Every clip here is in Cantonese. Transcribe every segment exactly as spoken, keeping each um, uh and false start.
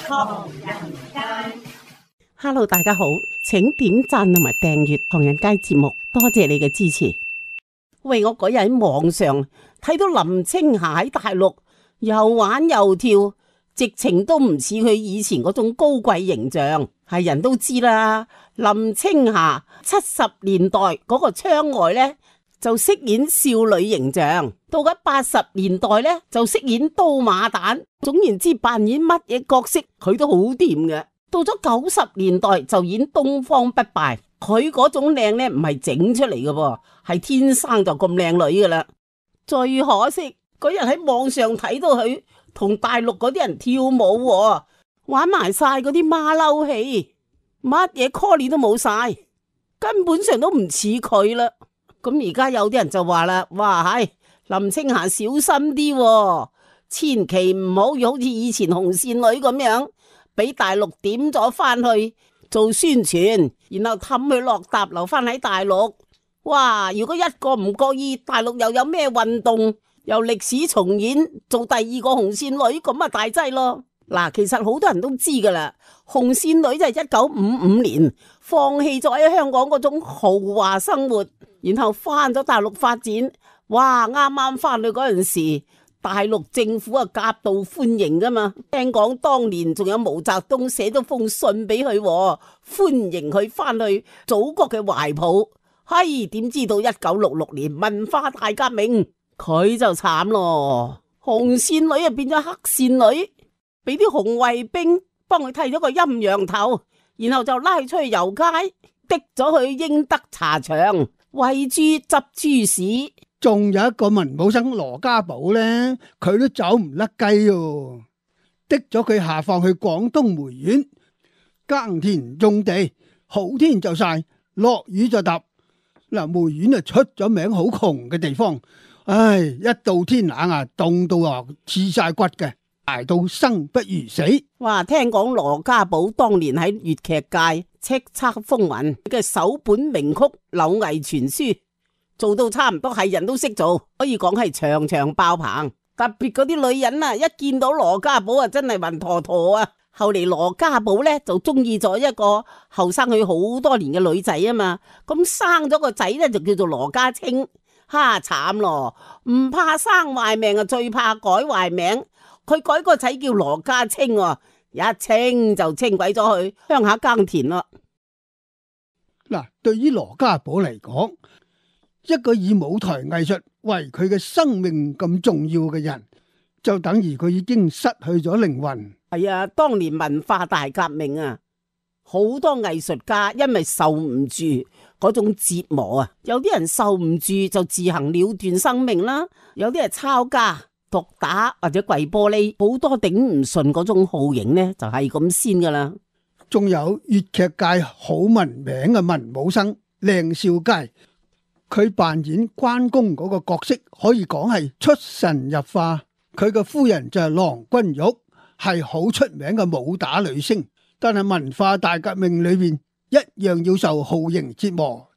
唐人街。Hello， 大家好，請點讚同埋訂閱唐人街節目，多謝你嘅支持。喂，我嗰日喺網上睇到林青霞喺大陸又玩又跳，直情都唔似佢以前嗰種高貴形象。係人都知啦，林青霞七十年代嗰個窗外呢，就飾演少女形象，到咗八十年代呢，就飾演刀馬旦。總言之，扮演乜嘢角色佢都好掂嘅。到咗九十年代就演東方不敗，佢嗰種靚呢唔係整出嚟嘅噃，係天生就咁靚女噶啦。最可惜嗰日喺網上睇到佢同大陸嗰啲人跳舞，玩埋晒嗰啲馬騮戲，乜嘢 call 都冇晒，根本上都唔似佢啦。咁而家有啲人就話啦，哇，係林青霞小心啲，千祈唔好好似以前紅線女咁樣，俾大陸點咗翻去做宣傳，然後氹佢落搭留翻喺大陸。哇！如果一個唔覺意，大陸又有咩運動，又歷史重演，做第二個紅線女，咁啊大劑咯。嗱，其實好多人都知噶啦，紅線女就係一九五五年放棄咗喺香港嗰種豪華生活，然後翻咗大陸發展。哇！啱啱翻去嗰陣時，大陸政府啊夾道歡迎噶嘛，聽講當年仲有毛澤東寫咗封信俾佢，歡迎佢翻去祖國嘅懷抱。嘿，點知道一九六六年文化大革命，佢就慘咯，紅線女啊變咗黑線女，俾啲紅衛兵幫佢剃咗個陰陽頭，然後就拉出去遊街，滴咗去英德茶場餵豬執豬屎。仲有一個文武生羅家寶呢，佢都走唔甩雞喎，滴咗佢下放去廣東梅縣耕田種地，好天就曬，落雨就揼。嗱，梅縣啊出咗名好窮嘅地方，唉，一到天冷啊，凍到啊刺晒骨嘅，捱到生不如死。哇！聽講羅家寶當年喺粵劇界叱咤風雲嘅首本名曲《柳毅傳書》，做到差唔多係人都識做，可以講係場場爆棚。特別嗰啲女人啊，一見到羅家寶啊，真係暈陀陀啊！後嚟羅家寶咧就中意咗一個後生佢好多年嘅女仔啊嘛，咁生咗個仔咧就叫做羅家清。哈，慘咯，唔怕生壞命啊，最怕改壞名。佢改個仔叫羅家清，一清就清鬼咗去鄉下耕田咯。嗱，對於羅家寶嚟講，一個以舞台藝術為佢嘅生命咁重要嘅人，就等於佢已經失去咗靈魂。係啊，當年文化大革命啊，好多藝術家因為受唔住嗰種折磨啊，有啲人受唔住就自行了斷生命啦，有啲係抄家、毒打或者跪玻璃，好多頂唔順嗰種酷刑呢，就係咁先噶啦。仲有粵劇界好聞名嘅文武生靚少佳，佢扮演關公嗰個角色可以講係出神入化。佢嘅夫人就係郎君玉，係好出名嘅武打女星，但係文化大革命裏邊一樣要受酷刑折磨，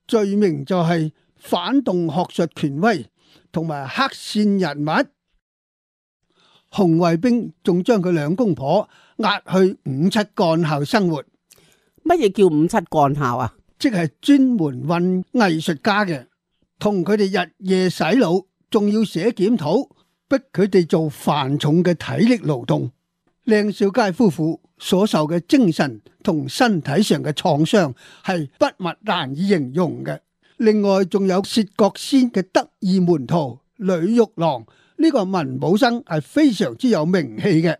罪名就係反動學術權威同埋黑線人物。紅衛兵仲將佢兩公婆押去五七幹校生活。乜嘢叫五七幹校啊？即係專門運藝術家嘅，同佢哋日夜洗腦，仲要寫檢討，逼佢哋做繁重嘅體力勞動。靚少佳夫婦所受嘅精神同身體上嘅創傷係筆墨難以形容嘅。另外仲有薛覺先嘅得意門徒呂玉郎，呢個文武生係非常之有名氣嘅。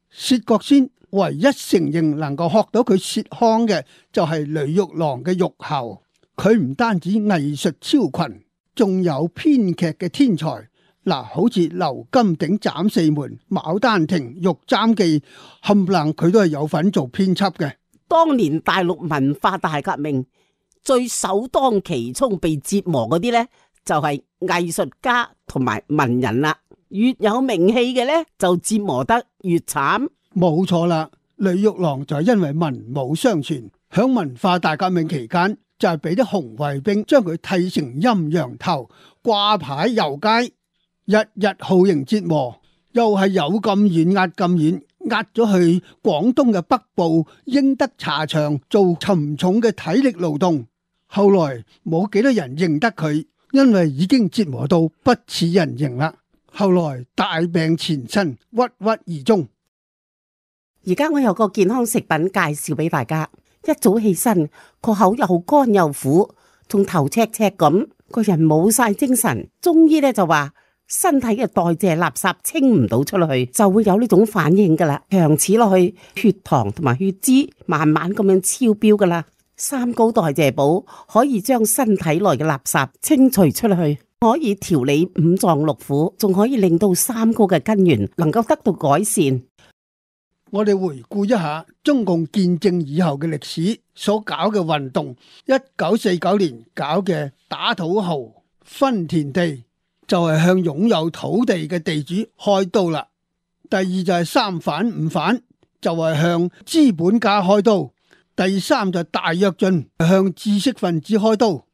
薛覺先唯一承認能夠學到佢薛腔嘅就係呂玉郎嘅玉喉。佢唔單止藝術超群，仲有編劇嘅天才。嗱，好似劉金鼎斬四門、牡丹亭、玉簪記，冚唪唥佢都係有份做編輯嘅。當年大陸文化大革命最首當其衝被折磨嗰啲呢，就係藝術家同埋文人啦。越有名氣嘅呢，就折磨得越慘。冇錯啦，呂玉郎就係因為文武雙全，響文化大革命期間就係俾啲紅衛兵將佢剃成陰陽頭，掛牌遊街。日日酷刑折磨，又係有咁遠壓咁遠，壓咗去廣東嘅北部英德茶場做沉重嘅體力勞動。後來冇幾多人認得佢，因為已經折磨到不似人形啦。後來大病纏身，鬱鬱而終。而家我有個健康食品介紹俾大家，一早起身個口又乾又苦，仲頭赤赤咁，個人冇晒精神。中醫咧就話身體嘅代謝垃圾清唔到出去，就會有呢種反應噶啦。長此落去，血糖同埋血脂慢慢咁樣超標噶啦。三高代謝補可以將身體內嘅垃圾清除出去，可以調理五臟六腑，仲可以令到三高嘅根源能夠得到改善。我哋回顧一下中共建政以後嘅歷史所搞嘅運動。一九四九年搞嘅打土豪分田地，就係向擁有土地嘅地主開刀啦。第二就係三反五反，就係向資本家開刀。第三就係大躍進，向知識分子開刀。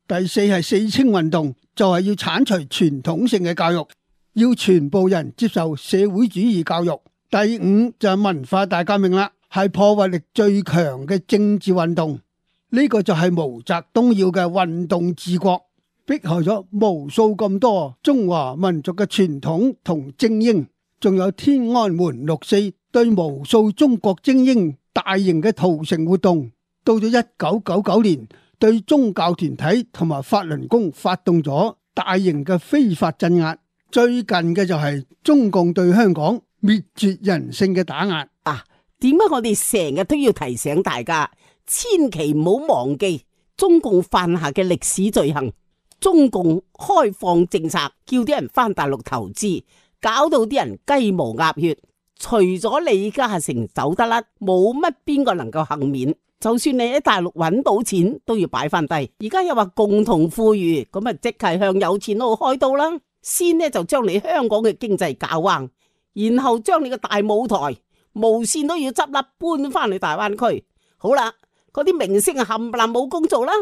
第四係四清運動，就係要鏟除傳統性嘅教育，要全部人接受社會主義教育。第五就係文化大革命啦，係破壞力最強嘅政治運動。呢個就係毛澤東要嘅運動治國，迫害咗無數咁多中華民族嘅傳統同精英，仲有天安門六四對無數中國精英大型嘅屠城活動。到咗一九九九年，對宗教團體同埋法輪功發動咗大型嘅非法鎮壓。最近嘅就係中共對香港滅絕人性嘅打壓啊！點解我哋成日都要提醒大家，千祈唔好忘記中共犯下嘅歷史罪行。中共開放政策，叫啲人返大陸投資，搞到啲人雞毛鴨血。除咗李嘉誠走得甩，冇乜邊個能夠幸免。就算你喺大陸揾到錢，都要擺翻低。而家又話共同富裕，咁啊即係向有錢佬開刀啦。先呢就將你香港嘅經濟搞彎，然後將你個大舞台無綫都要執笠，搬翻去大灣區。好啦，嗰啲明星啊冚唪唥冇工做啦，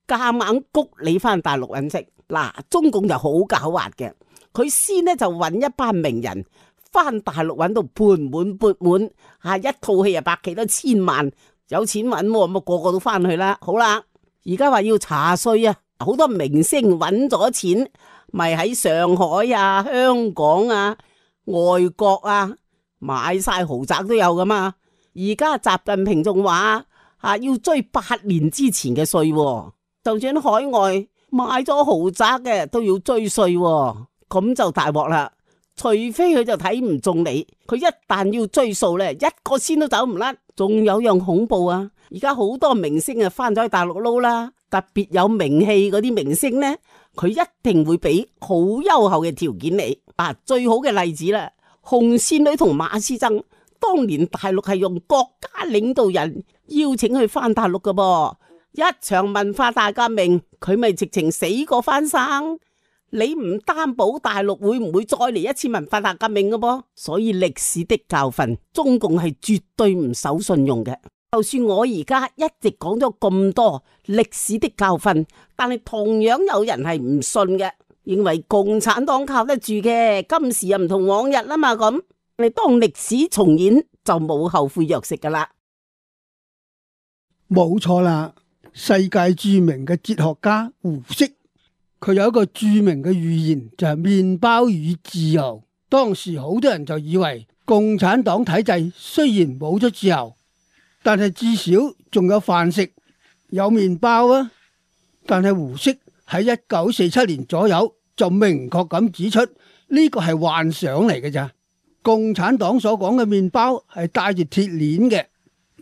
夾硬谷你翻大陸揾食。嗱，中共就好狡猾嘅，佢先呢就揾一班名人翻大陸揾到盆滿缽滿，啊一套戲啊百幾多千萬，有錢揾咁啊個個都翻去啦。好啦，而家話要查稅啊，好多明星揾咗錢，咪喺上海啊、香港啊、外國啊買晒豪宅都有噶嘛。而家習近平仲話啊要追八年之前嘅稅，就算海外買咗豪宅嘅都要追稅，咁就大鑊啦。除非佢就睇唔中你，佢一旦要追數咧，一個仙都走唔甩。仲有樣恐怖啊！而家好多明星啊翻咗去大陸撈啦，特別有名氣嗰啲明星呢，佢一定會俾好優厚嘅條件你。啊，最好嘅例子啦，紅線女同馬師曾，當年大陸係用國家領導人邀請佢翻大陸噶噃，一場文化大革命，佢咪直情死過翻生。你唔擔保大陸會唔會再嚟一次文化大革命嘅噃？所以歷史的教訓，中共係絕對唔守信用嘅。就算我而家一直講咗咁多歷史的教訓，但係同樣有人係唔信嘅，認為共產黨靠得住嘅，今時又唔同往日啦嘛。咁你當歷史重演就冇後悔藥食噶啦。冇錯啦，世界著名嘅哲學家胡適，佢有一個著名嘅寓言，就係麵包與自由。當時好多人就以為共產黨體制雖然冇咗自由，但係至少仲有飯食，有麵包啊。但係胡適喺一九四七年左右就明確咁指出，呢個係幻想嚟嘅咋。共產黨所講嘅麵包係帶住鐵鏈嘅，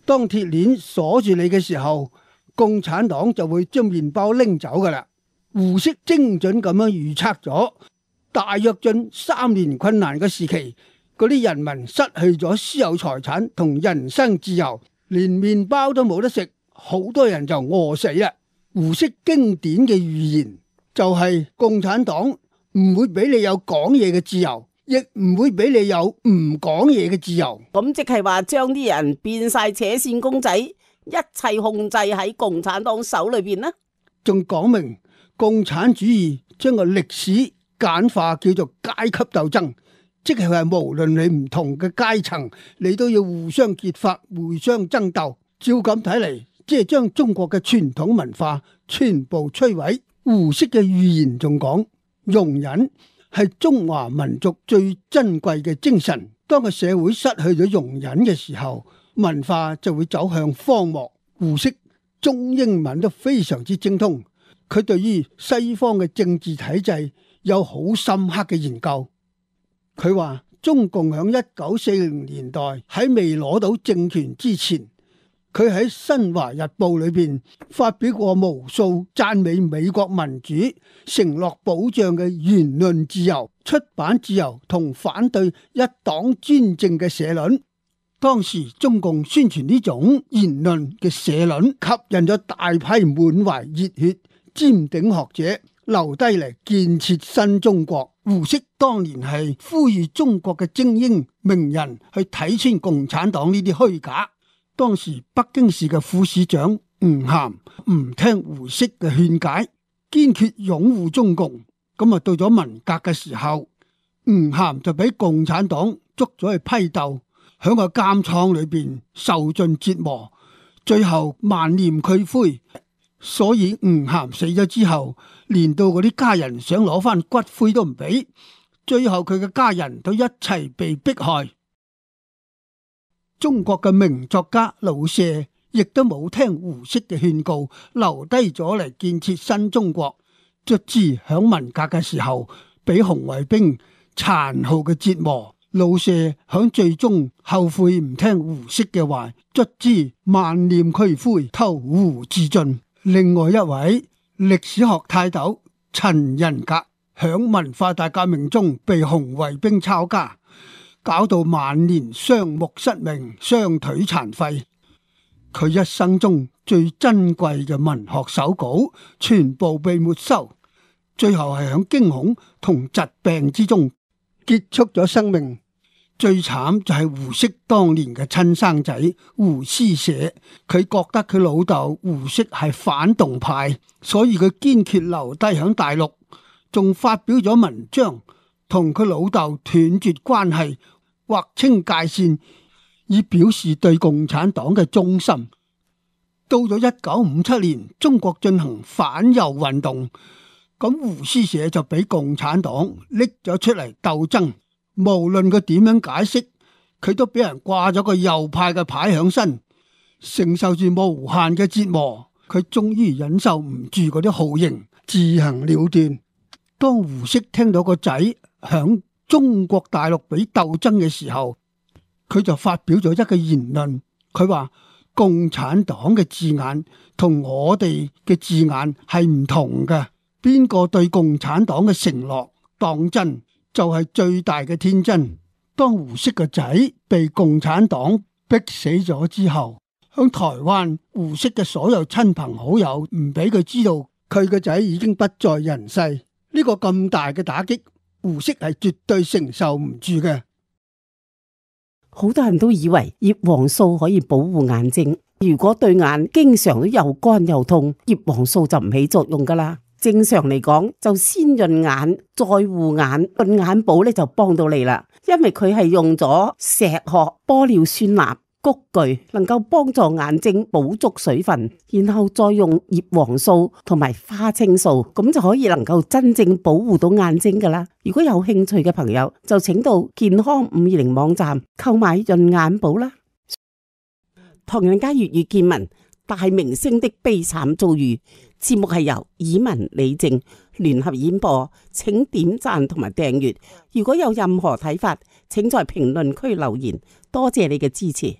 當鐵鏈鎖住你嘅時候，共產黨就會將麵包拎走噶啦。胡適精準咁樣預測咗大躍進三年困難嘅時期，嗰啲人民失去咗私有財產同人身自由，連麵包都冇得食，好多人就餓死啦。胡適經典嘅預言就係共產黨唔會俾你有講嘢嘅自由，亦唔會俾你有唔講嘢嘅自由。咁即係話將啲人變晒扯線公仔，一切控制喺共產黨手裏邊呢？仲講明共產主義將個歷史簡化叫做階級鬥爭，即係話無論你唔同嘅階層，你都要互相結發、互相爭鬥。照咁睇嚟，即係將中國嘅傳統文化全部摧毀。胡適嘅預言仲講，容忍係中華民族最珍貴嘅精神。當個社會失去咗容忍嘅時候，文化就會走向荒漠。胡適中英文都非常之精通，佢對於西方嘅政治體制有好深刻嘅研究。佢話中共響一九四零年代喺未攞到政權之前，佢喺《新華日報》裏邊發表過無數讚美美國民主、承諾保障嘅言論自由、出版自由同反對一黨專政嘅社論。當時中共宣傳呢種言論嘅社論，吸引咗大批滿懷熱血、尖頂學者留低嚟建設新中國。胡適當年係呼籲中國嘅精英名人去睇穿共產黨呢啲虛假。當時北京市嘅副市長吳晗唔聽胡適嘅勸解，堅決擁護中共。咁啊，到咗文革嘅時候，吳晗就俾共產黨捉咗去批鬥，響個監倉裏邊受盡折磨，最後萬念俱灰。所以吳晗死咗之後，連到嗰啲家人想攞翻骨灰都唔俾，最後佢嘅家人都一齊被迫害。中國嘅名作家老舍亦都冇聽胡適嘅勸告，留低咗嚟建設新中國。卒之響文革嘅時候，俾紅衛兵殘酷嘅折磨。老舍響最終後悔唔聽胡適嘅話，卒之萬念俱灰，投湖自盡。另外一位歷史學泰斗陳仁格響文化大革命中被紅衛兵抄家，搞到晚年雙目失明、雙腿殘廢。佢一生中最珍貴嘅文學手稿全部被沒收，最後係響驚恐同疾病之中結束咗生命。最慘就係胡適當年嘅親生仔胡施捨，佢覺得佢老豆胡適係反動派，所以佢堅決留低響大陸，仲發表咗文章同佢老豆斷絕關係，劃清界線，以表示對共產黨嘅忠心。到咗一九五七年，中國進行反右運動，咁胡施捨就俾共產黨拎咗出嚟鬥爭。無論佢點樣解釋，佢都俾人掛咗個右派嘅牌響身，承受住無限嘅折磨。佢終於忍受唔住嗰啲酷刑，自行了斷。當胡適聽到個仔響中國大陸俾鬥爭嘅時候，佢就發表咗一個言論，佢話共產黨嘅字眼同我哋嘅字眼係唔同嘅，邊個對共產黨嘅承諾當真，就係最大嘅天真。當胡適個仔被共產黨逼死咗之後，響台灣胡適嘅所有親朋好友唔俾佢知道佢個仔已經不在人世。呢個咁大嘅打擊，胡適係絕對承受唔住嘅。好多人都以為葉黃素可以保護眼睛，如果對眼經常都又乾又痛，葉黃素就唔起作用噶啦。正常嚟講，就先潤眼再護眼，潤眼寶咧就幫到你啦。因為佢係用咗石殼、玻尿酸鈉、菊苣，能夠幫助眼睛補足水分，然後再用葉黃素同埋花青素，咁就可以能夠真正保護到眼睛噶啦。如果有興趣嘅朋友，就請到健康五二零網站購買潤眼寶啦。唐人街粵語見聞，大明星的悲慘遭遇。節目係由以文李靜聯合演播，請點讚同埋訂閱。如果有任何睇法，請在評論區留言。多謝你嘅支持。